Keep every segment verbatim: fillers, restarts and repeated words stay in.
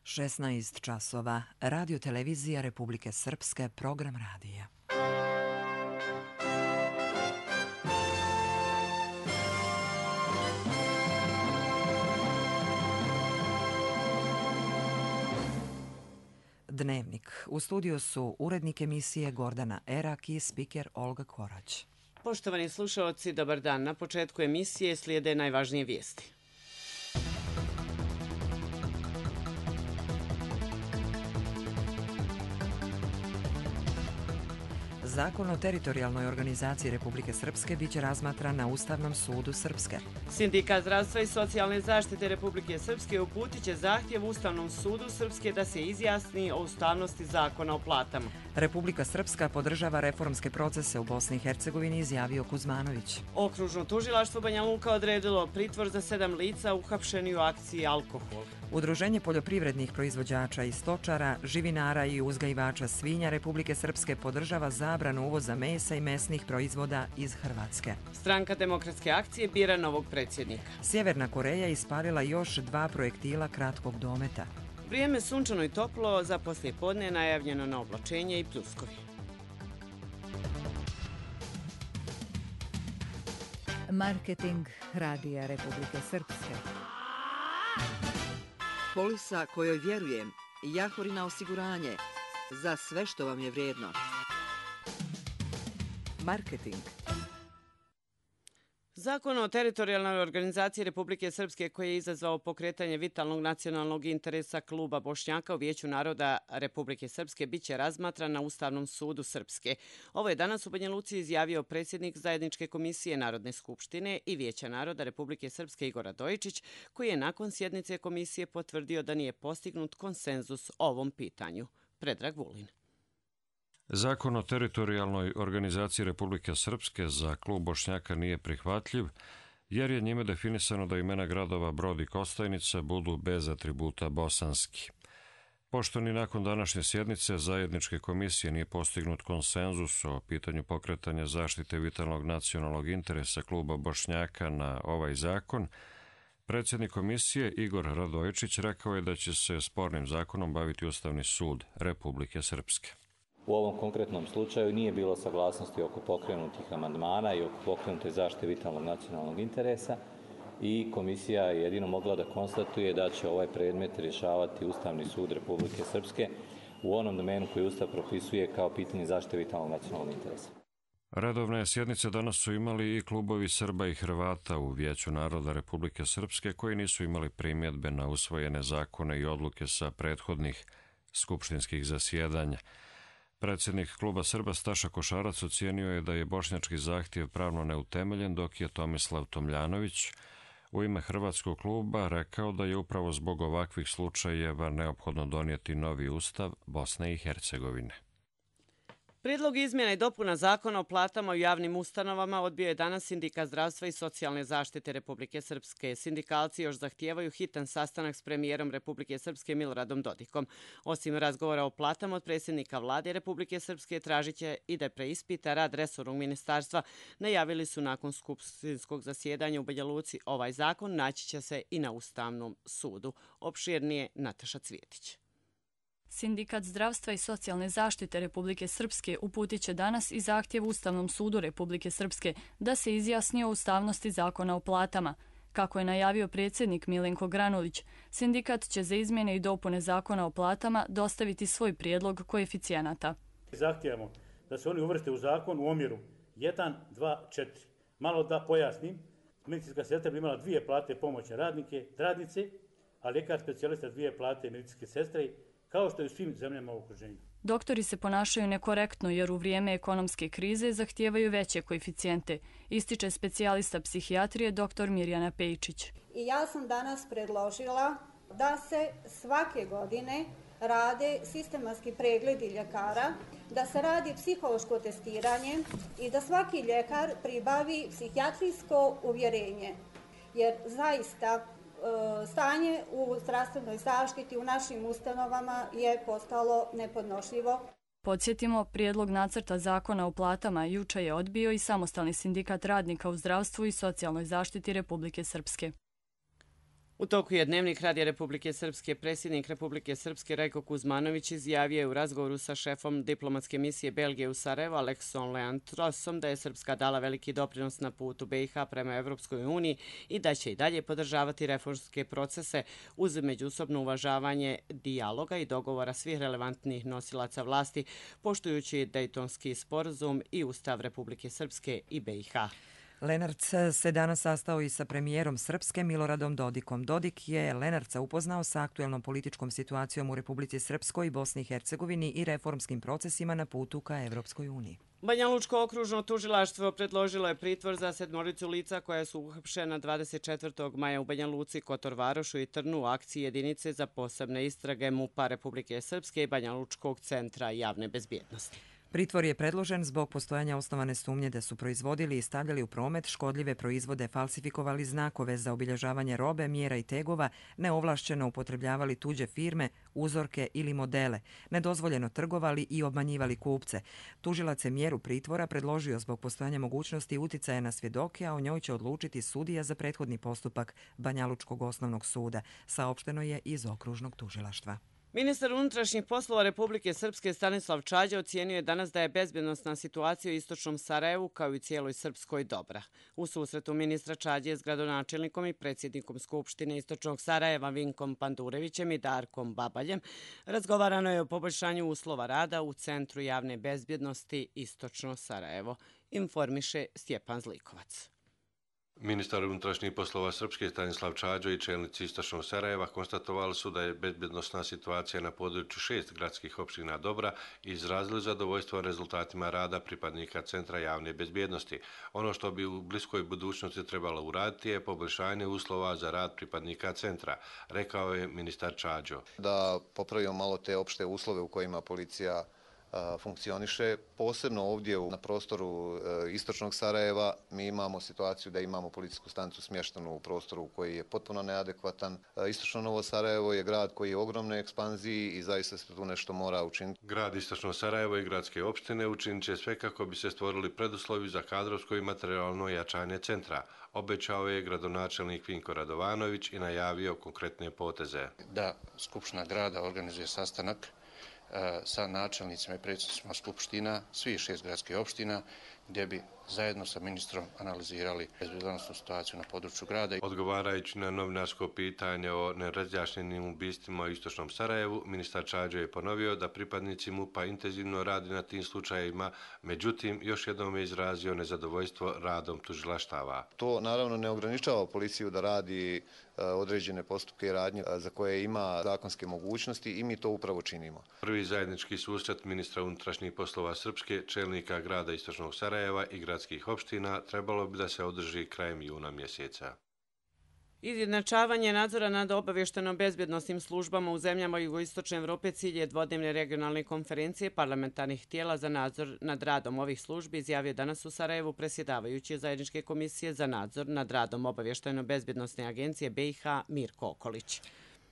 šesnaest časova. Radio televizija Republike Srpske, program radija. Dnevnik. U studiju su urednik emisije Gordana Erak i spiker Olga Korać. Poštovani slušalci, dobar dan. Na početku emisije slijede najvažnije vijesti. Zakon o teritorijalnoj organizaciji Republike Srpske biće razmatran na Ustavnom sudu Srpske. Sindikat zdravstva i socijalne zaštite Republike Srpske uputit će zahtjev Ustavnom sudu Srpske da se izjasni o ustavnosti zakona o platama. Republika Srpska podržava reformske procese u Bosni i Hercegovini, izjavio Kuzmanović. Okružno tužilaštvo Banja Luka odredilo pritvor za sedam lica uhapšeni u akciji Alkohol. Udruženje poljoprivrednih proizvođača i stočara, živinara i uzgajivača svinja Republike Srpske podržava zabranu uvoza mesa i mesnih proizvoda iz Hrvatske. Stranka demokratske akcije bira novog predsjednika. Sjeverna Koreja ispalila još dva projektila kratkog dometa. Vrijeme sunčano i toplo, za poslijepodne najavljeno na oblačenje i pljuskovi. Marketing Radija Republike Srpske. Polisa kojoj vjerujem, Jahorina osiguranje, za sve što vam je vrijedno. Marketing. Zakon o teritorijalnoj organizaciji Republike Srpske koji je izazvao pokretanje vitalnog nacionalnog interesa kluba Bošnjaka u Vijeću naroda Republike Srpske biće razmatran na Ustavnom sudu Srpske. Ovo je danas u Banja Luci izjavio predsjednik Zajedničke komisije Narodne skupštine i Vijeća naroda Republike Srpske Igor Radojičić, koji je nakon sjednice komisije potvrdio da nije postignut konsenzus o ovom pitanju. Predrag Vulin. Zakon o teritorijalnoj organizaciji Republike Srpske za klub Bošnjaka nije prihvatljiv, jer je njime definisano da imena gradova Brod i Kostajnica budu bez atributa bosanski. Pošto ni nakon današnje sjednice Zajedničke komisije nije postignut konsenzus o pitanju pokretanja zaštite vitalnog nacionalnog interesa kluba Bošnjaka na ovaj zakon, predsjednik komisije Igor Radojičić rekao je da će se spornim zakonom baviti Ustavni sud Republike Srpske. U ovom konkretnom slučaju nije bilo saglasnosti oko pokrenutih amandmana i oko pokrenute zaštite vitalnog nacionalnog interesa i komisija je jedino mogla da konstatuje da će ovaj predmet rješavati Ustavni sud Republike Srpske u onom domenu koji Ustav propisuje kao pitanje zaštite vitalnog nacionalnog interesa. Redovne sjednice danas su imali i klubovi Srba i Hrvata u Vijeću naroda Republike Srpske koji nisu imali primjedbe na usvojene zakone i odluke sa prethodnih skupštinskih zasjedanja. Predsjednik kluba Srba Staša Košarac ocijenio je da je bošnjački zahtjev pravno neutemeljen, dok je Tomislav Tomljanović u ime hrvatskog kluba rekao da je upravo zbog ovakvih slučajeva neophodno donijeti novi ustav Bosne i Hercegovine. Prijedlog izmjena i dopuna zakona o platama u javnim ustanovama odbio je danas Sindikat zdravstva i socijalne zaštite Republike Srpske. Sindikalci još zahtijevaju hitan sastanak s premijerom Republike Srpske Miloradom Dodikom. Osim razgovora o platama od predsjednika vlade Republike Srpske, tražit će i da preispita rad resornog ministarstva. Najavili su nakon skupštinskog zasjedanja u Banja Luci ovaj zakon naći će se i na Ustavnom sudu. Opširnije Nataša Cvjetić. Sindikat zdravstva i socijalne zaštite Republike Srpske uputit će danas i zahtjev Ustavnom sudu Republike Srpske da se izjasni o ustavnosti zakona o platama. Kako je najavio predsjednik Milenko Granulić, sindikat će za izmjene i dopune zakona o platama dostaviti svoj prijedlog koeficijenata. Zahtijevamo da se oni uvrste u zakon u omjeru jedan, dva, četiri. Malo da pojasnim, medicinska sestra bi imala dvije plate pomoćne radnike, radnice, a ljekar specijalista dvije plate medicinske sestre, kao što je u svim zemljama u okruženju. Doktori se ponašaju nekorektno jer u vrijeme ekonomske krize zahtijevaju veće koeficijente, ističe specijalista psihijatrije dr. Mirjana Pejčić. I ja sam danas predložila da se svake godine rade sistematski pregledi ljekara, da se radi psihološko testiranje i da svaki ljekar pribavi psihijatrijsko uvjerenje. Jer zaista stanje u zdravstvenoj zaštiti u našim ustanovama je postalo nepodnošljivo. Podsjetimo, prijedlog nacrta zakona o platama juče je odbio i Samostalni sindikat radnika u zdravstvu i socijalnoj zaštiti Republike Srpske. U toku je Dnevnik Radija Republike Srpske. Predsjednik Republike Srpske Rajko Kuzmanović izjavio je u razgovoru sa šefom diplomatske misije Belgije u Sarajevo Aleksom Leantrosom da je Srpska dala veliki doprinos na putu B i H prema Evropskoj uniji i da će i dalje podržavati reformske procese uz međusobno uvažavanje dijaloga i dogovora svih relevantnih nosilaca vlasti, poštujući Dejtonski sporazum i Ustav Republike Srpske i B i H. Lenarc se danas sastao i sa premijerom Srpske Miloradom Dodikom. Dodik je Lenarca upoznao sa aktuelnom političkom situacijom u Republici Srpskoj, Bosni i Hercegovini i reformskim procesima na putu ka Evropskoj uniji. Banja Lučko okružno tužilaštvo predložilo je pritvor za sedmoricu lica koja su uhapšena dvadeset četvrtog maja u Banja Luci, Kotor Varošu i Trnu u akciji jedinice za posebne istrage MUP-a Republike Srpske i Banja Lučkog centra javne bezbjednosti. Pritvor je predložen zbog postojanja osnovane sumnje da su proizvodili i stavljali u promet škodljive proizvode, falsifikovali znakove za obilježavanje robe, mjera i tegova, neovlašćeno upotrebljavali tuđe firme, uzorke ili modele, nedozvoljeno trgovali i obmanjivali kupce. Tužilac je mjeru pritvora predložio zbog postojanja mogućnosti uticaja na svjedoke, a o njoj će odlučiti sudija za prethodni postupak Banja Lučkog osnovnog suda, saopšteno je iz okružnog tužilaštva. Ministar unutrašnjih poslova Republike Srpske Stanislav Čađa ocijenio je danas da je bezbjednosna situacija u istočnom Sarajevu kao i cijeloj Srpskoj dobra. U susretu ministra Čađe s gradonačelnikom i predsjednikom Skupštine istočnog Sarajeva Vinkom Pandurevićem i Darkom Babaljem razgovarano je o poboljšanju uslova rada u Centru javne bezbjednosti Istočno Sarajevo, informiše Stjepan Zlikovac. Ministar unutrašnjih poslova Srpske Stanislav Čađo i čelnici Istočnog Sarajeva konstatovali su da je bezbjednosna situacija na području šest gradskih opština dobra i izrazili zadovoljstvo rezultatima rada pripadnika Centra javne bezbjednosti. Ono što bi u bliskoj budućnosti trebalo uraditi je poboljšanje uslova za rad pripadnika Centra, rekao je ministar Čađo. Da popravimo malo te opšte uslove u kojima policija funkcioniše. Posebno ovdje na prostoru istočnog Sarajeva mi imamo situaciju da imamo policijsku stanicu smještenu u prostoru koji je potpuno neadekvatan. Istočno Novo Sarajevo je grad koji je u ogromnoj ekspanziji i zaista se tu nešto mora učiniti. Grad Istočno Sarajevo i gradske opštine učinit će sve kako bi se stvorili preduslovi za kadrovsko i materijalno jačanje centra. Obećao je gradonačelnik Vinko Radovanović i najavio konkretne poteze. Da Skupština grada organizuje sastanak sa načelnicima i predsjednicima skupština, svih šest gradskih opština, gdje bi zajedno sa ministrom analizirali bezbjednosnu situaciju na području grada. Odgovarajući na novinarsko pitanje o nerazjašnjenim ubistvima u Istočnom Sarajevu, ministar Čađo je ponovio da pripadnici MUP-a intenzivno radi na tim slučajevima, međutim još jednom je izrazio nezadovoljstvo radom tužilaštava. To naravno ne ograničava policiju da radi određene postupke i radnje za koje ima zakonske mogućnosti i mi to upravo činimo. Prvi zajednički susret ministra unutrašnjih poslova Srpske, čelnika grada Istočnog Sarajeva i gradskih opština trebalo bi da se održi krajem juna mjeseca. Izjednačavanje nadzora nad obavješteno-bezbjednosnim službama u zemljama jugoistočne Evrope cilj je dvodnevne regionalne konferencije parlamentarnih tijela za nadzor nad radom ovih službi, izjavio danas u Sarajevu predsjedavajući zajedničke komisije za nadzor nad radom obavješteno-bezbjednosne agencije B i H Mirko Okolić.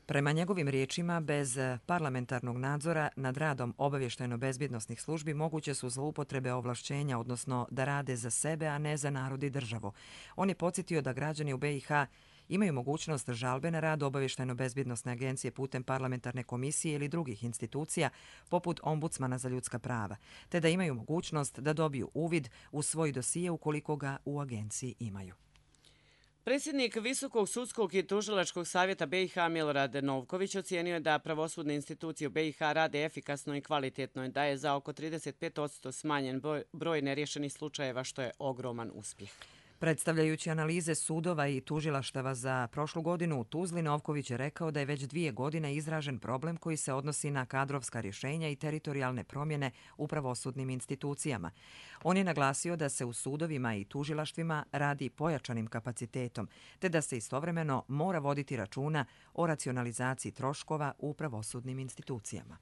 Prema njegovim riječima, bez parlamentarnog nadzora nad radom obavještajno-bezbjednosnih službi moguće su zloupotrebe ovlašćenja, odnosno da rade za sebe, a ne za narod i državu. On je podsjetio da građani u B i H imaju mogućnost žalbe na rad obavještajno-bezbjednosne agencije putem parlamentarne komisije ili drugih institucija, poput ombudsmana za ljudska prava, te da imaju mogućnost da dobiju uvid u svoj dosije ukoliko ga u agenciji imaju. Predsjednik Visokog sudskog i tužilačkog savjeta B i H Milorad Novković ocijenio je da pravosudne institucije u B i H rade efikasno i kvalitetno i da je za oko trideset pet posto smanjen broj neriješenih slučajeva, što je ogroman uspjeh. Predstavljajući analize sudova i tužilaštava za prošlu godinu u Tuzli, Novković je rekao da je već dvije godine izražen problem koji se odnosi na kadrovska rješenja i teritorijalne promjene u pravosudnim institucijama. On je naglasio da se u sudovima i tužilaštvima radi pojačanim kapacitetom, te da se istovremeno mora voditi računa o racionalizaciji troškova u pravosudnim institucijama.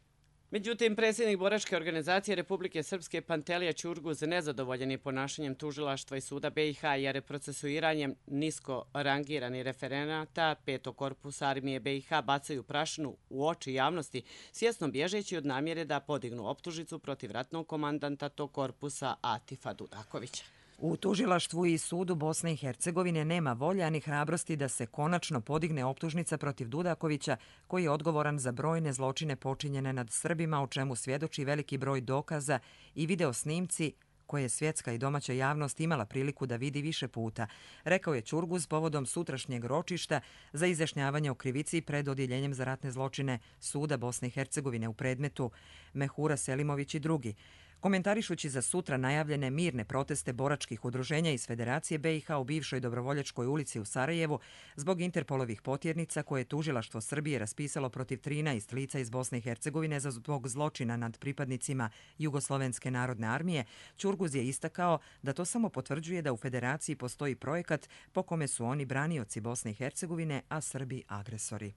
Međutim, predsjednik boračke organizacije Republike Srpske Pantelija Ćurguz nezadovoljen je ponašanjem tužilaštva i suda B i H jer je procesuiranjem nisko rangirani referenata petog korpusa armije B i H bacaju prašinu u oči javnosti, svjesno bježeći od namjere da podignu optužnicu protiv ratnog komandanta tog korpusa Atifa Dudakovića. U tužilaštvu i sudu Bosne i Hercegovine nema volje ani hrabrosti da se konačno podigne optužnica protiv Dudakovića, koji je odgovoran za brojne zločine počinjene nad Srbima, o čemu svjedoči veliki broj dokaza i video snimci koje je svjetska i domaća javnost imala priliku da vidi više puta, rekao je Ćurguz povodom sutrašnjeg ročišta za izjašnjavanje o krivici pred Odjeljenjem za ratne zločine suda Bosne i Hercegovine u predmetu Mehura Selimović i drugi. Komentarišući za sutra najavljene mirne proteste boračkih udruženja iz Federacije B i H u bivšoj Dobrovoljačkoj ulici u Sarajevu zbog Interpolovih potjernica koje je tužilaštvo Srbije raspisalo protiv trinaest lica iz Bosne i Hercegovine za zbog zločina nad pripadnicima Jugoslovenske narodne armije, Ćurguz je istakao da to samo potvrđuje da u Federaciji postoji projekat po kome su oni branioci Bosne i Hercegovine, a Srbi agresori.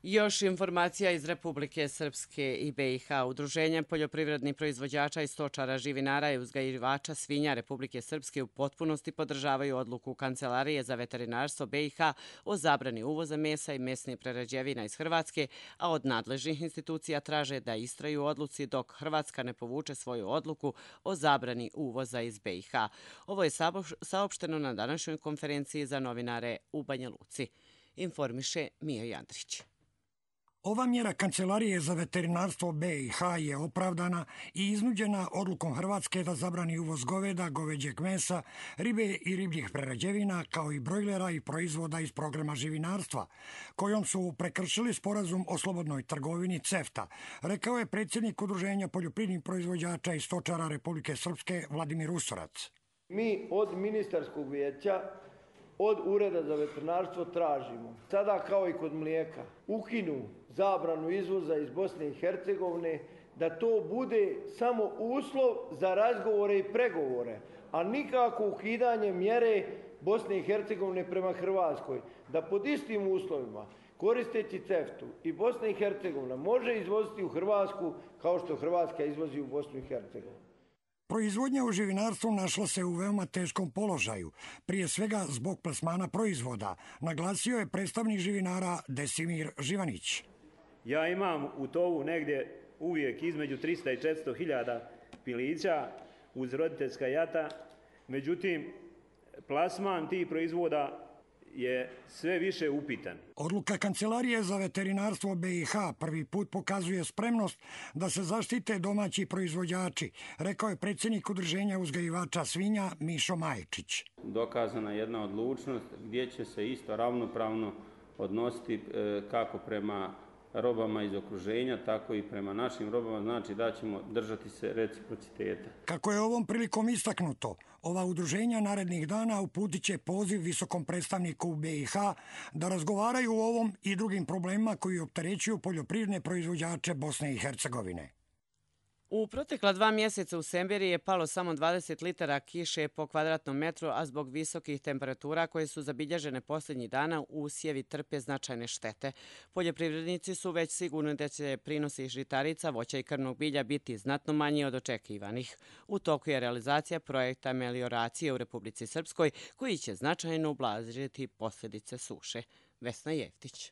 Još informacija iz Republike Srpske i B i H. Udruženje poljoprivrednih proizvođača i stočara, živinara i uzgajivača svinja Republike Srpske u potpunosti podržavaju odluku Kancelarije za veterinarstvo B i H o zabrani uvoza mesa i mesnih prerađevina iz Hrvatske, a od nadležnih institucija traže da istraju odluci dok Hrvatska ne povuče svoju odluku o zabrani uvoza iz B i H. Ovo je saopšteno na današnjoj konferenciji za novinare u Banja Luci. Informiše Mija Jandrić. Ova mjera Kancelarije za veterinarstvo B i H je opravdana i iznuđena odlukom Hrvatske da zabrani uvoz goveda, goveđeg mesa, ribe i ribljih prerađevina, kao i brojlera i proizvoda iz programa živinarstva, kojom su prekršili sporazum o slobodnoj trgovini CEFTA, rekao je predsjednik Udruženja poljoprivrednih proizvođača i stočara Republike Srpske Vladimir Usorac. Mi od ministarskog vijeća, od Ureda za veterinarstvo tražimo, sada kao i kod mlijeka, ukinu zabranu izvoza iz Bosne i Hercegovine, da to bude samo uslov za razgovore i pregovore, a nikako ukidanje mjere Bosne i Hercegovine prema Hrvatskoj, da pod istim uslovima, koristeći CEFTA i Bosna i Hercegovina može izvoziti u Hrvatsku kao što Hrvatska izvozi u Bosnu i Hercegovinu. Proizvodnja u živinarstvu našla se u veoma teškom položaju, prije svega zbog plasmana proizvoda, naglasio je predstavnik živinara Desimir Živanić. Ja imam u tovu negdje uvijek između trista i četiristo hiljada pilića uz roditeljska jata, međutim plasman tih proizvoda je sve više upitan. Odluka Kancelarije za veterinarstvo B i H prvi put pokazuje spremnost da se zaštite domaći proizvođači, rekao je predsjednik Udruženja uzgajivača svinja Mišo Majčić. Dokazana je jedna odlučnost gdje će se isto ravnopravno odnositi kako prema robama iz okruženja, tako i prema našim robama, znači da ćemo držati se reciprociteta. Kako je ovom prilikom istaknuto, ova udruženja narednih dana uputit će poziv visokom predstavniku B i H da razgovaraju o ovom i drugim problemima koji opterećuju poljoprivredne proizvođače Bosne i Hercegovine. U protekla dva mjeseca u Semberiji je palo samo dvadeset litara kiše po kvadratnom metru, a zbog visokih temperatura koje su zabilježene posljednjih dana usjevi trpe značajne štete. Poljoprivrednici su već sigurni da će prinosi žitarica, voća i krvnog bilja biti znatno manji od očekivanih. U toku je realizacija projekta melioracije u Republici Srpskoj koji će značajno ublažiti posljedice suše. Vesna Jeftić.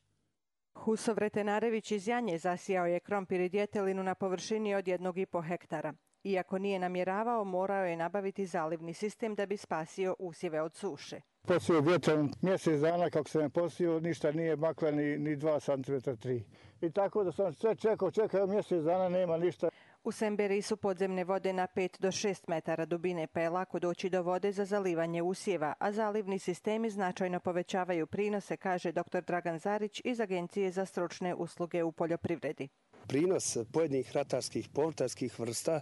Huso Vretenarević iz Janje zasijao je krompir i djetelinu na površini od jednog i po hektara. Iako nije namjeravao, morao je nabaviti zalivni sistem da bi spasio usjeve od suše. Posio vjetrom mjesec dana kako sam je posio, ništa nije makla ni, ni dva centimetra, tri. I tako da sam sve čekao, čekao mjesec dana, nema ništa. U Semberiji su podzemne vode na pet do šest metara dubine, pa je lako doći do vode za zalivanje usjeva, a zalivni sistemi značajno povećavaju prinose, kaže dr Dragan Zarić iz Agencije za stručne usluge u poljoprivredi. Prinos pojedinih ratarskih povrtarskih vrsta e,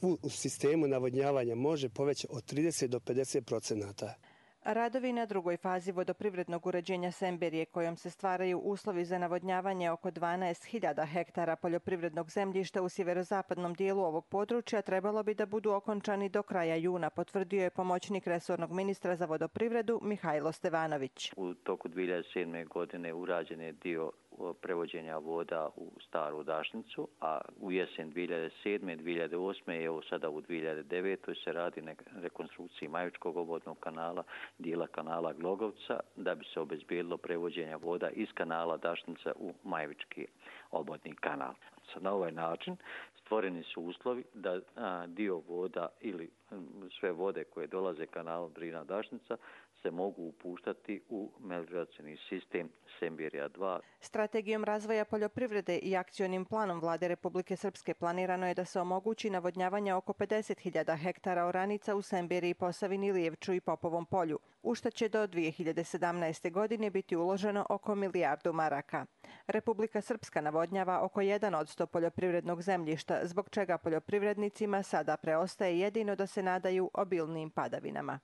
u, u sistemu navodnjavanja može povećati od trideset do pedeset procenata. Radovi na drugoj fazi vodoprivrednog uređenja Semberije, kojom se stvaraju uslovi za navodnjavanje oko dvanaest hiljada hektara poljoprivrednog zemljišta u sjeverozapadnom dijelu ovog područja, trebalo bi da budu okončani do kraja juna, potvrdio je pomoćnik resornog ministra za vodoprivredu Mihajlo Stevanović. U toku dvije hiljade sedme. godine urađen je dio prevođenja voda u staru dašnicu, a u jesen dvije hiljade sedme. dvije hiljade osme. i evo sada u dvije hiljade devete. se radi na rekonstrukciji Majevičkog obodnog kanala, dijela kanala Glogovca, da bi se obezbijedilo prevođenja voda iz kanala Dašnica u Majevički obodni kanal. Na ovaj način stvoreni su uslovi da a, dio voda ili sve vode koje dolaze kanalom Drina-Dašnica se mogu upuštati u melioracioni sistem Semberija dva. Strategijom razvoja poljoprivrede i akcionim planom Vlade Republike Srpske planirano je da se omogući navodnjavanje oko pedeset hiljada hektara oranica u Semberiji, Posavini, Lijevču i Popovom polju, u što će do dvije hiljade sedamnaeste. godine biti uloženo oko milijardu maraka. Republika Srpska navodnjava oko jedan od sto poljoprivrednog zemljišta, zbog čega poljoprivrednicima sada preostaje jedino da se nadaju obilnim padavinama.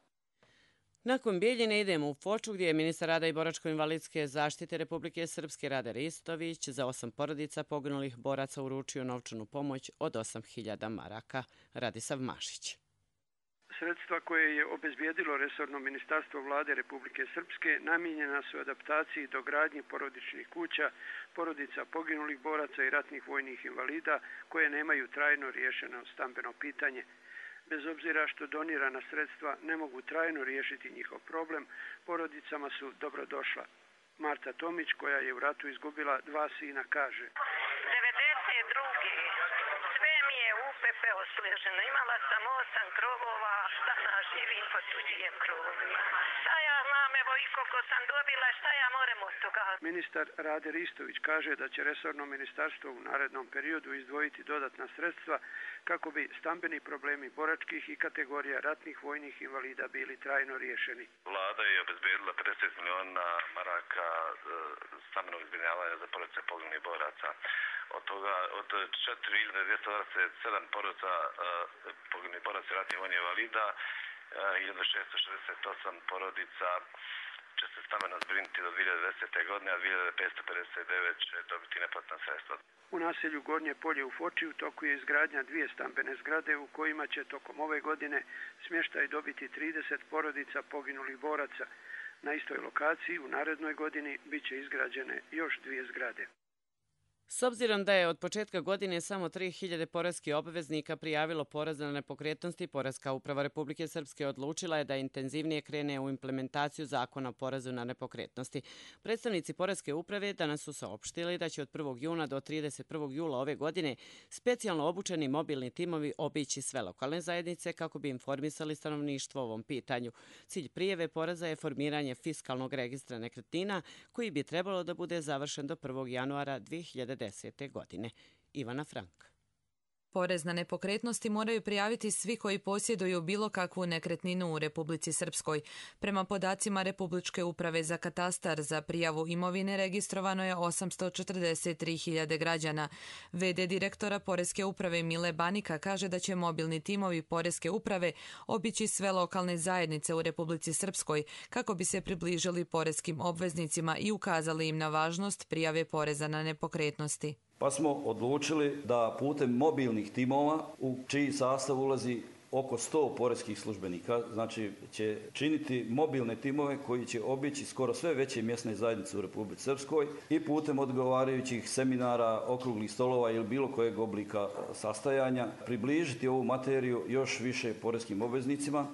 Nakon Bijeljine idemo u Foču gdje je ministar rada i boračko-invalidske zaštite Republike Srpske Rade Ristović za osam porodica poginulih boraca uručio novčanu pomoć od osam hiljada maraka. Radisav Mašić. Sredstva koje je obezbijedilo resorno ministarstvo Vlade Republike Srpske namijenjena su adaptaciji do gradnje porodičnih kuća, porodica poginulih boraca i ratnih vojnih invalida koje nemaju trajno riješeno stambeno pitanje. Bez obzira što donirana sredstva ne mogu trajno riješiti njihov problem, porodicama su dobrodošla. Marta Tomić, koja je u ratu izgubila dva sina, kaže: devedeset druge sve mi je u pepeo sleženo. Imala sam osam krovova, danas živim po tuđim krovima. Šta ja znam, evo i koliko sam dobila, šta ja moram od toga? Ministar Rade Ristović kaže da će resorno ministarstvo u narednom periodu izdvojiti dodatna sredstva kako bi stambeni problemi boračkih i kategorija ratnih vojnih invalida bili trajno riješeni. Vlada je obezbijedila pedeset miliona maraka stambenog zbrinjavanja za porodice poginulih boraca. Od toga, od četiri hiljade dvjesto dvadeset sedam porodica poginulih boraca i ratnih vojnih invalida, hiljadu šesto šezdeset osam porodica će se stambeno zbrinuti do dvije hiljade desete. godine, a dvije hiljade petsto pedeset devet će dobiti neplatna sredstva. U naselju Gornje polje u Foči u toku je izgradnja dvije stambene zgrade u kojima će tokom ove godine smještaj dobiti trideset porodica poginulih boraca. Na istoj lokaciji u narednoj godini bit će izgrađene još dvije zgrade. S obzirom da je od početka godine samo tri hiljade poreskih obveznika prijavilo porez na nepokretnosti, Poreska uprava Republike Srpske odlučila je da intenzivnije krene u implementaciju zakona o porezu na nepokretnosti. Predstavnici Poreske uprave danas su saopštili da će od prvog juna do trideset prvog jula ove godine specijalno obučeni mobilni timovi obići sve lokalne zajednice kako bi informisali stanovništvo o ovom pitanju. Cilj prijave poreza je formiranje fiskalnog registra nekretnina koji bi trebalo da bude završen do prvog januara dvije hiljade desete. godine. Ivana Frank. Porez na nepokretnosti moraju prijaviti svi koji posjeduju bilo kakvu nekretninu u Republici Srpskoj. Prema podacima Republičke uprave za katastar, za prijavu imovine registrovano je osamsto četrdeset tri hiljade građana. ve de direktora Poreske uprave Mile Banika kaže da će mobilni timovi Poreske uprave obići sve lokalne zajednice u Republici Srpskoj kako bi se približili poreskim obveznicima i ukazali im na važnost prijave poreza na nepokretnosti. Pa smo odlučili da putem mobilnih timova, u čiji sastav ulazi oko sto poreskih službenika, znači će činiti mobilne timove koji će obići skoro sve veće mjesne zajednice u Republici Srpskoj i putem odgovarajućih seminara, okruglih stolova ili bilo kojeg oblika sastajanja približiti ovu materiju još više poreskim obveznicima.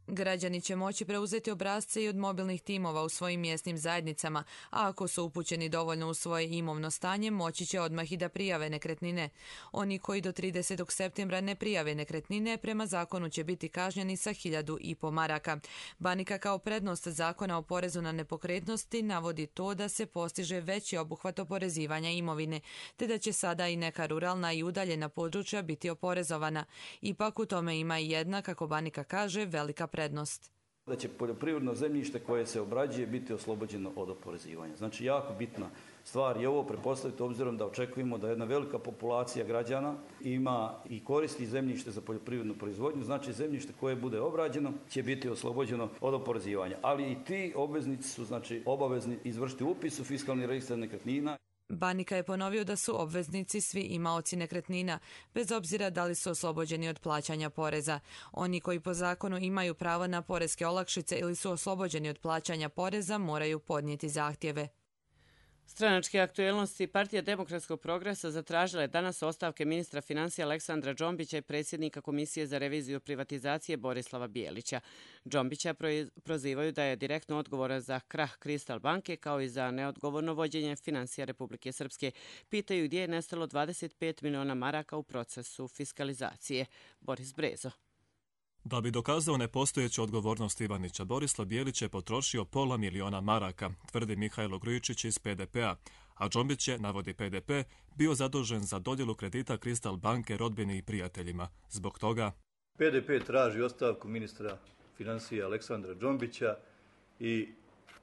Građani će moći preuzeti obrasce i od mobilnih timova u svojim mjesnim zajednicama, a ako su upućeni dovoljno u svoje imovno stanje, moći će odmah i da prijave nekretnine. Oni koji do tridesetog septembra ne prijave nekretnine, prema zakonu će biti kažnjeni sa hiljadu i po maraka. Banika kao prednost zakona o porezu na nepokretnosti navodi to da se postiže veći obuhvat oporezivanja imovine, te da će sada i neka ruralna i udaljena područja biti oporezovana. Ipak u tome ima i jedna, kako Banika kaže, velika prednost. Da će poljoprivredno zemljište koje se obrađuje biti oslobođeno od oporezivanja. Znači, jako bitna stvar je ovo prepostaviti obzirom da očekujemo da jedna velika populacija građana ima i koristi zemljište za poljoprivrednu proizvodnju, znači zemljište koje bude obrađeno će biti oslobođeno od oporezivanja. Ali i ti obveznici su znači obavezni izvršiti upis u fiskalni registar nekretnina. Banika je ponovio da su obveznici svi imaoci nekretnina, bez obzira da li su oslobođeni od plaćanja poreza. Oni koji po zakonu imaju pravo na poreske olakšice ili su oslobođeni od plaćanja poreza moraju podnijeti zahtjeve. Stranačke aktuelnosti Partija demokratskog progresa zatražila je danas ostavke ministra financija Aleksandra Džombića i predsjednika Komisije za reviziju privatizacije Borislava Bijelića. Džombića prozivaju da je direktno odgovoran za krah Kristal banke kao i za neodgovorno vođenje financija Republike Srpske. Pitaju gdje je nestalo dvadeset pet miliona maraka u procesu fiskalizacije. Boris Brezo. Da bi dokazao nepostojeću odgovornost Ivanića, Borislav Bijelić je potrošio pola miliona maraka, tvrdi Mihajlo Grujičić iz P D P-a, a Džombić je, navodi P D P, bio zadužen za dodjelu kredita Kristal banke rodbini i prijateljima. Zbog toga P D P traži ostavku ministra financija Aleksandra Džombića i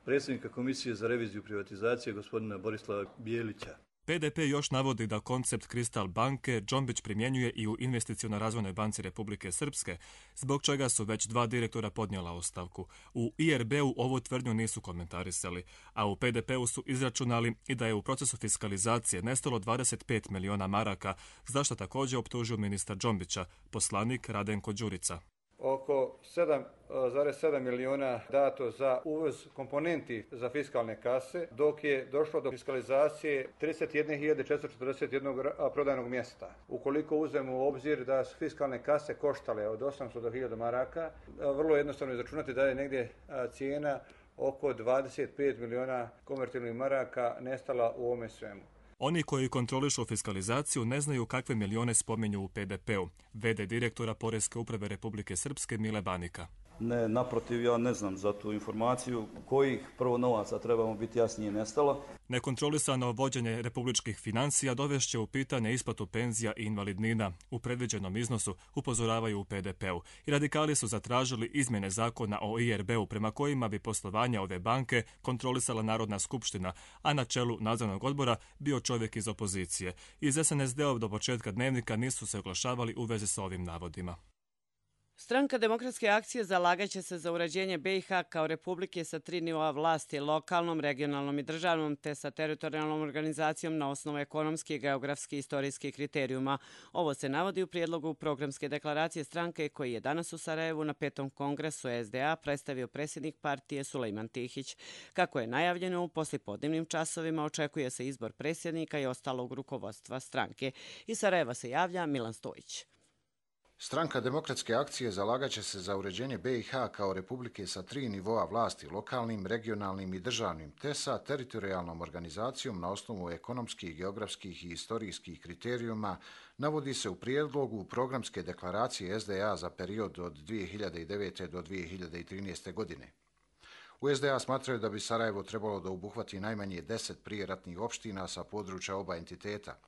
predsjednika Komisije za reviziju privatizacije gospodina Borislava Bijelića. P D P još navodi da koncept Kristal banke Džombić primjenjuje i u Investiciono-razvojnoj banci Republike Srpske, zbog čega su već dva direktora podnijela ostavku. U I R B-u ovu tvrdnju nisu komentarisali, a u P D P-u su izračunali i da je u procesu fiskalizacije nestalo dvadeset pet miliona maraka, za što također optužio ministar Džombića, poslanik Radenko Đurica. Oko sedam zarez sedam miliona dato za uvoz komponenti za fiskalne kase, dok je došlo do fiskalizacije trideset jedne hiljade četiristo četrdeset jednog prodajnog mjesta. Ukoliko uzmemo u obzir da su fiskalne kase koštale od osamsto do hiljadu maraka, vrlo jednostavno izračunati da je negdje cijena oko dvadeset pet miliona konvertibilnih maraka nestala u ovome svemu. Oni koji kontrolišu fiskalizaciju ne znaju kakve milione spominju u P D P-u, vede direktora Poreske uprave Republike Srpske Mile Banika. Ne, naprotiv, ja ne znam za tu informaciju kojih prvo novaca trebamo biti jasnije nestalo. Nekontrolisano vođenje republičkih financija dovešće u pitanje isplatu penzija i invalidnina u predviđenom iznosu, upozoravaju u P D P-u. I radikali su zatražili izmjene zakona o I R B-u prema kojima bi poslovanje ove banke kontrolisala Narodna skupština, a na čelu nadzornog odbora bio čovjek iz opozicije. Iz S N S D-ov do početka dnevnika nisu se oglašavali u vezi s ovim navodima. Stranka Demokratske akcije zalagaće se za uređenje B i H kao republike sa tri nivoa vlasti, lokalnom, regionalnom i državnom, te sa teritorijalnom organizacijom na osnovu ekonomskih, geografskih i istorijskih kriterijuma. Ovo se navodi u prijedlogu programske deklaracije stranke koji je danas u Sarajevu na petom kongresu S D A predstavio predsjednik partije Sulejman Tihić. Kako je najavljeno, u poslijepodnevnim časovima očekuje se izbor predsjednika i ostalog rukovodstva stranke. Iz Sarajeva se javlja Milan Stojić. Stranka Demokratske akcije zalagaće se za uređenje B i H kao republike sa tri nivoa vlasti, lokalnim, regionalnim i državnim, te sa teritorijalnom organizacijom na osnovu ekonomskih, geografskih i istorijskih kriterijuma, navodi se u prijedlogu programske deklaracije S D A za period od dvije hiljade devete. do dvije hiljade trinaeste. godine. U S D A smatraju da bi Sarajevo trebalo da obuhvati najmanje deset prijeratnih opština sa područja oba entiteta.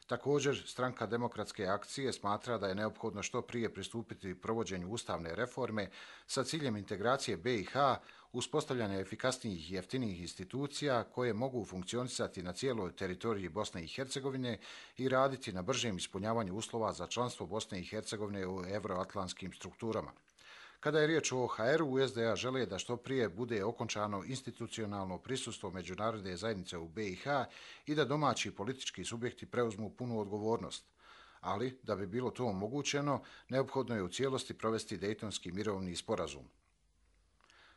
Također, stranka Demokratske akcije smatra da je neophodno što prije pristupiti provođenju ustavne reforme sa ciljem integracije B i H, uspostavljanja efikasnijih i jeftinijih institucija koje mogu funkcionisati na cijeloj teritoriji Bosne i Hercegovine i raditi na bržem ispunjavanju uslova za članstvo Bosne i Hercegovine u euroatlantskim strukturama. Kada je riječ o O H R-u, u S D A žele da što prije bude okončano institucionalno prisustvo međunarodne zajednice u B i H i da domaći politički subjekti preuzmu punu odgovornost. Ali, da bi bilo to omogućeno, neophodno je u cijelosti provesti Dejtonski mirovni sporazum.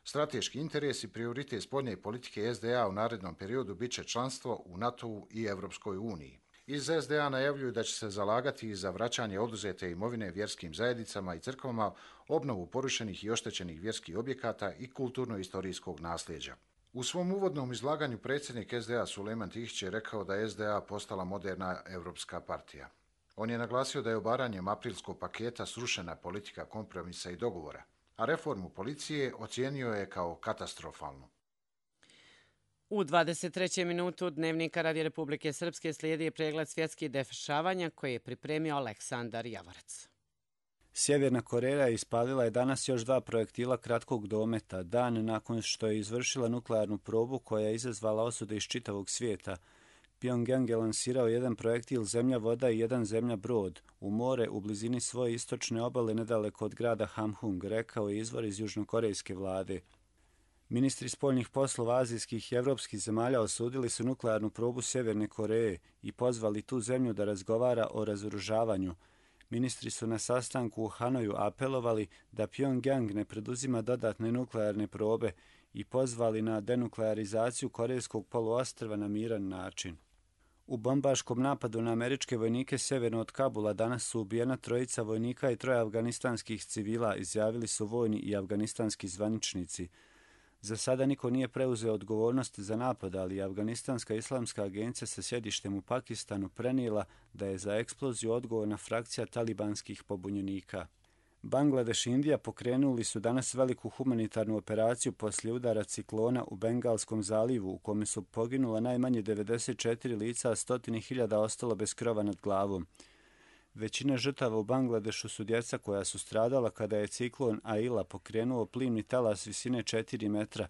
Strateški interes i prioritet spoljne politike S D A u narednom periodu bit će članstvo u NATO-u i Evropskoj uniji. Iz S D A najavljuju da će se zalagati za vraćanje oduzete imovine vjerskim zajednicama i crkvama, obnovu porušenih i oštećenih vjerskih objekata i kulturno-istorijskog nasljeđa. U svom uvodnom izlaganju predsjednik S D A Sulejman Tihić je rekao da je S D A postala moderna evropska partija. On je naglasio da je obaranjem aprilskog paketa srušena politika kompromisa i dogovora, a reformu policije ocijenio je kao katastrofalnu. U dvadeset trećem minutu Dnevnika Radi Republike Srpske slijedi pregled svjetskih dešavanja koji je pripremio Aleksandar Javorac. Sjeverna Koreja ispalila je danas još dva projektila kratkog dometa, dan nakon što je izvršila nuklearnu probu koja je izazvala osude iz čitavog svijeta. Pyongyang je lansirao jedan projektil zemlja voda i jedan zemlja brod u more u blizini svoje istočne obale nedaleko od grada Hamhung, rekao je izvor iz južnokorejske vlade. Ministri spoljnih poslova azijskih i evropskih zemalja osudili su nuklearnu probu Sjeverne Koreje i pozvali tu zemlju da razgovara o razoružavanju. Ministri su na sastanku u Hanoju apelovali da Pjongjang ne preduzima dodatne nuklearne probe i pozvali na denuklearizaciju Korejskog poluostrva na miran način. U bombaškom napadu na američke vojnike sjeverno od Kabula danas su ubijena trojica vojnika i troje afganistanskih civila, izjavili su vojni i afganistanski zvaničnici. Za sada niko nije preuzeo odgovornost za napad, ali Afganistanska islamska agencija sa sjedištem u Pakistanu prenijela da je za eksploziju odgovorna frakcija talibanskih pobunjenika. Bangladeš i Indija pokrenuli su danas veliku humanitarnu operaciju poslije udara ciklona u Bengalskom zalivu, u kome su poginula najmanje devedeset četiri lica, a stotine hiljada ostalo bez krova nad glavom. Većina žrtava u Bangladešu su djeca koja su stradala kada je ciklon Aila pokrenuo plimni talas visine četiri metra.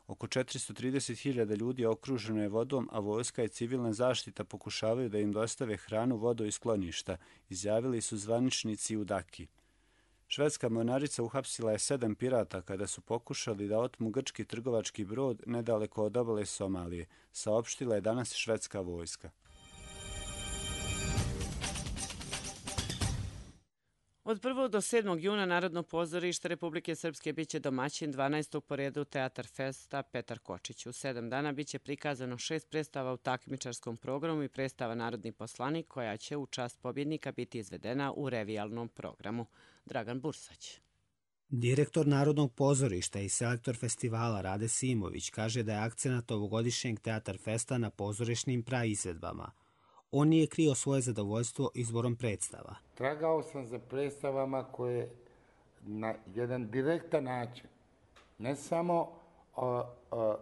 Oko četiristo trideset hiljada ljudi okruženo je vodom, a vojska i civilna zaštita pokušavaju da im dostave hranu, vodu i skloništa, izjavili su zvaničnici u Daki. Švedska mornarica uhapsila je sedam pirata kada su pokušali da otmu grčki trgovački brod nedaleko od obale Somalije, saopštila je danas švedska vojska. Od prvog do sedmog juna Narodno pozorište Republike Srpske biće domaćin dvanaestog po redu Teatar Festa Petar Kočić. U sedam dana biće prikazano šest predstava u takmičarskom programu i predstava Narodni poslanik, koja će u čast pobjednika biti izvedena u revijalnom programu. Dragan Bursać. Direktor Narodnog pozorišta i selektor festivala Rade Simović kaže da je akcenat ovogodišnjeg Teatar Festa na pozorišnim praizvedbama. On nije krio svoje zadovoljstvo izborom predstava. Tragao sam za predstavama koje na jedan direktan način ne samo a, a,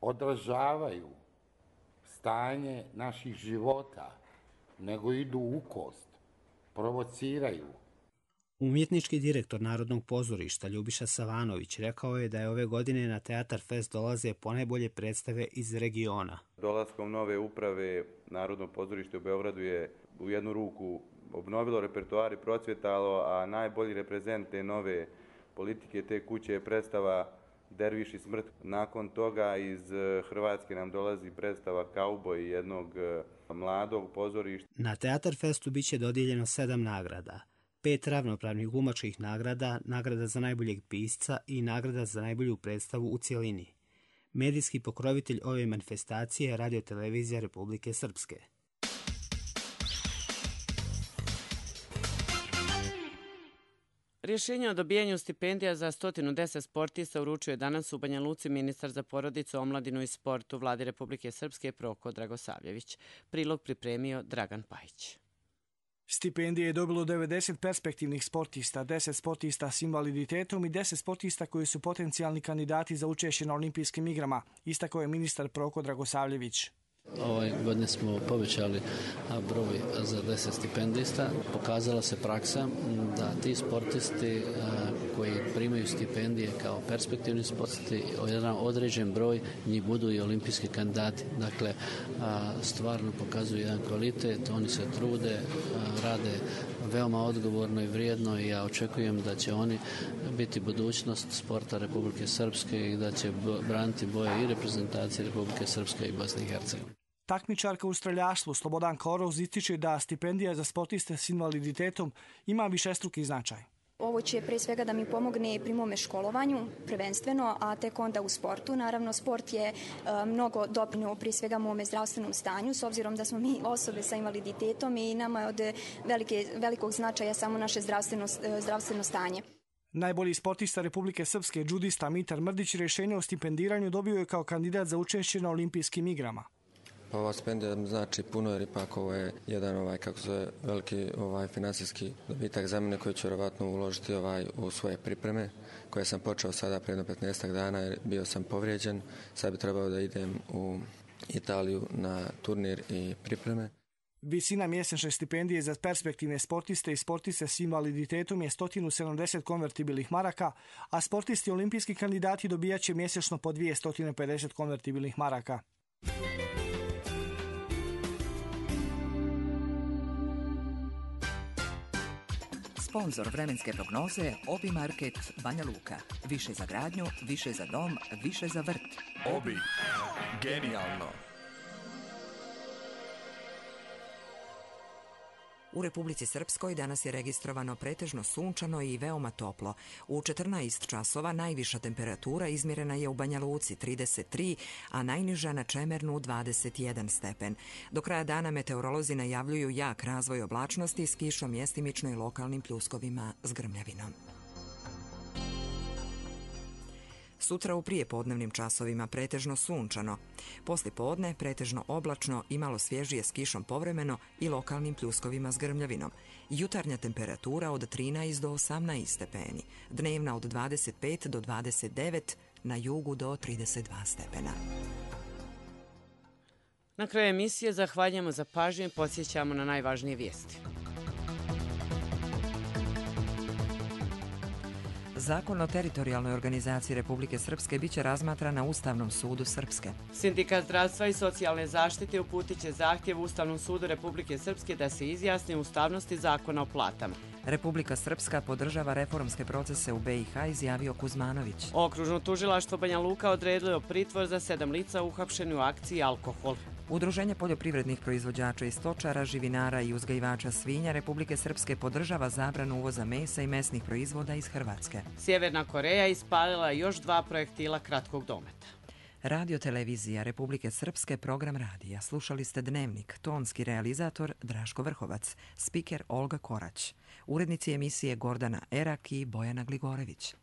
odražavaju stanje naših života, nego idu u kost, provociraju. Umjetnički direktor Narodnog pozorišta Ljubiša Savanović rekao je da je ove godine na Teatar Fest dolaze ponajbolje predstave iz regiona. Dolaskom nove uprave Narodno pozorište u Beogradu je u jednu ruku obnovilo repertoar i procvjetalo, a najbolji reprezent te nove politike te kuće je predstava Derviš i smrt. Nakon toga iz Hrvatske nam dolazi predstava Kauboj jednog mladog pozorišta. Na Teatar Festu biće dodijeljeno sedam nagrada. Pet ravnopravnih glumačkih nagrada, nagrada za najboljeg pisca i nagrada za najbolju predstavu u cjelini. Medijski pokrovitelj ove manifestacije je Radio-televizija Republike Srpske. Rješenje o dobijanju stipendija za sto deset sportista uručuje danas u Banja Luci ministar za porodicu, omladinu i sport u Vladi Republike Srpske Proko Dragosavljević. Prilog pripremio Dragan Pajić. Stipendije je dobilo devedeset perspektivnih sportista, deset sportista s invaliditetom i deset sportista koji su potencijalni kandidati za učešće na olimpijskim igrama, istakao je ministar Proko Dragosavljević. Ove godine smo povećali broj za deset stipendista. Pokazala se praksa da ti sportisti koji primaju stipendije kao perspektivni sportisti, jedan određen broj njih budu i olimpijski kandidati. Dakle, stvarno pokazuju jedan kvalitet, oni se trude, rade veoma odgovorno i vrijedno i ja očekujem da će oni biti budućnost sporta Republike Srpske i da će braniti boje i reprezentacije Republike Srpske i Bosne i Hercegovine. Takmičarka u streljaštvu Slobodan Koroz ističe da stipendija za sportiste s invaliditetom ima višestruki značaj. Ovo će pre svega da mi pomogne pri mome školovanju, prvenstveno, a tek onda u sportu. Naravno, sport je uh, mnogo doprineo pri svega mome zdravstvenom stanju, s obzirom da smo mi osobe sa invaliditetom i nama je od velike, velikog značaja samo naše zdravstveno, zdravstveno stanje. Najbolji sportista Republike Srpske, džudista Mitar Mrdić, rješenje o stipendiranju dobio je kao kandidat za učešće na olimpijskim igrama. Ova stipendija znači puno, jer ipak ovo je jedan ovaj kako se veliki ovaj finansijski dobitak za mene koji ću vjerovatno uložiti ovaj u svoje pripreme koje sam počeo sada prije petnaestak dana jer bio sam povrijeđen. Sad bi trebao da idem u Italiju na turnir i pripreme. Visina mjesečne stipendije za perspektivne sportiste i sportiste s invaliditetom je sto sedamdeset konvertibilnih maraka, a sportisti i olimpijski kandidati dobijaće mjesečno po dvjesto pedeset konvertibilnih maraka. Sponzor vremenske prognoze Obi Market Banja Luka. Više za gradnju, više za dom, više za vrt. Obi. Genijalno. U Republici Srpskoj danas je registrovano pretežno sunčano i veoma toplo. U četrnaest časova najviša temperatura izmjerena je u Banja Luci trideset tri, a najniža na Čemernu dvadeset jedan stepen. Do kraja dana meteorolozi najavljuju jak razvoj oblačnosti s kišom, mjestimično i lokalnim pljuskovima s grmljavinom. Sutra u prijepodnevnim časovima pretežno sunčano. Poslijepodne pretežno oblačno i malo svježije s kišom povremeno i lokalnim pljuskovima s grmljavinom. Jutarnja temperatura od trinaest do osamnaest stepeni. Dnevna od dvadeset pet do dvadeset devet, na jugu do trideset dva stepena. Na kraju emisije zahvaljujemo za pažnju i podsjećamo na najvažnije vijesti. Zakon o teritorijalnoj organizaciji Republike Srpske biće razmatran na Ustavnom sudu Srpske. Sindikat zdravstva i socijalne zaštite uputit će zahtjev Ustavnom sudu Republike Srpske da se izjasni o ustavnosti zakona o platama. Republika Srpska podržava reformske procese u be i ha, izjavio Kuzmanović. Okružno tužilaštvo Banja Luka odredilo pritvor za sedam lica uhapšeni u akciji Alkohol. Udruženje poljoprivrednih proizvođača i stočara, živinara i uzgajivača svinja Republike Srpske podržava zabranu uvoza mesa i mesnih proizvoda iz Hrvatske. Sjeverna Koreja ispalila još dva projektila kratkog dometa. Radio televizija Republike Srpske, program radija. Slušali ste Dnevnik, tonski realizator Draško Vrhovac, spiker Olga Korać, urednici emisije Gordana Erak i Bojana Gligorević.